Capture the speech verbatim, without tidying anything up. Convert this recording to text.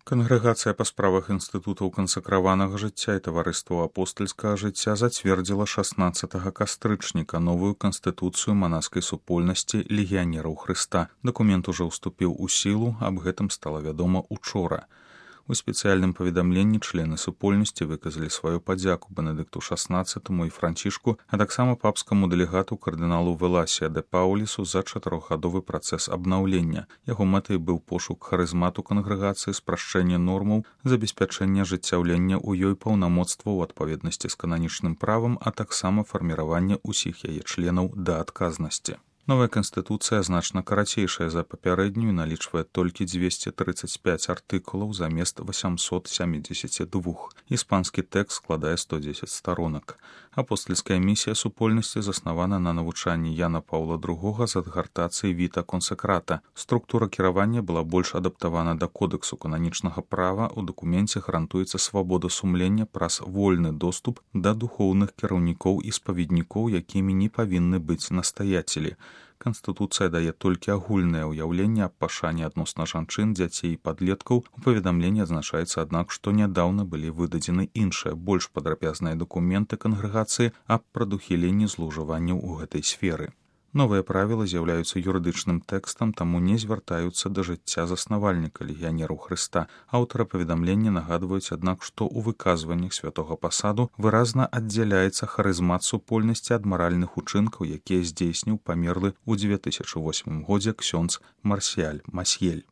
Кангрэгацыя па справах інстытутаў кансакраванага жыцця і таварыстваў апостальскага жыцця зацвердзіла шаснаццатага кастрычніка новую канстытуцыю манаскай супольнасці легіянераў Хрыста. Дакумент ужо ўступіў у сілу, аб гэтым стала вядома учора. У спецыяльным паведамленні члены супольнасці выказалі сваю падзяку Бенедыкту шаснаццатаму і Францішку, а таксама папскаму дэлегату кардыналу Веласія де Паулісу за чатырохгадовы працэс абнаўлення. Яго мэтай быў пошук харызмату кангрэгацыі, спрашчэнне нормаў, забеспячэнне ажыццяўлення ў ёй паўнамоцтваў у адпаведнасці з кананічным правам, а таксама фарміраванне ўсіх яе членаў да адказнасці. Новая канстытуцыя значна карацейшая за папярэднюю, налічвае толькі дзвесце трыццаць пяць артыкулаў замест восемьсот семьдесят два. Іспанскі тэкст складае сто дзесяць старонак. Апостальская місія супольнасці заснавана на навучанні Яна Паўла другога з адгартацыі Віта Консекрата. Структура кіравання была больш адаптавана да кодэксу кананічнага права. У дакуменце гарантуецца свабода сумлення праз вольны доступ да духоўных кіраўнікоў і спаведнікоў, якімі не павінны быць настаяцелі. Канстытуцыя дае толькі агульнае ўяўленне аб пашане адносна жанчын, дзяцей і падлеткаў. У паведамленні адзначаецца, аднак, што нядаўна былі выдадзены іншыя, больш падрабязныя дакументы кангрэгацыі аб прадухіленні злоўжыванняў у гэтай сферы. Новыя правілы з'яўляюцца юрыдычным тэкстам, таму не звяртаюцца да жыцця заснавальніка легіянераў Хрыста. Аўтары паведамлення нагадваюць, аднак, што ў выказваннях святога пасаду выразна аддзяляецца харызмат супольнасці ад маральных учынкаў, якія здзейсніў памерлы ў дзве тысячы восьмым годзе ксёндз Марсіяль Масьель.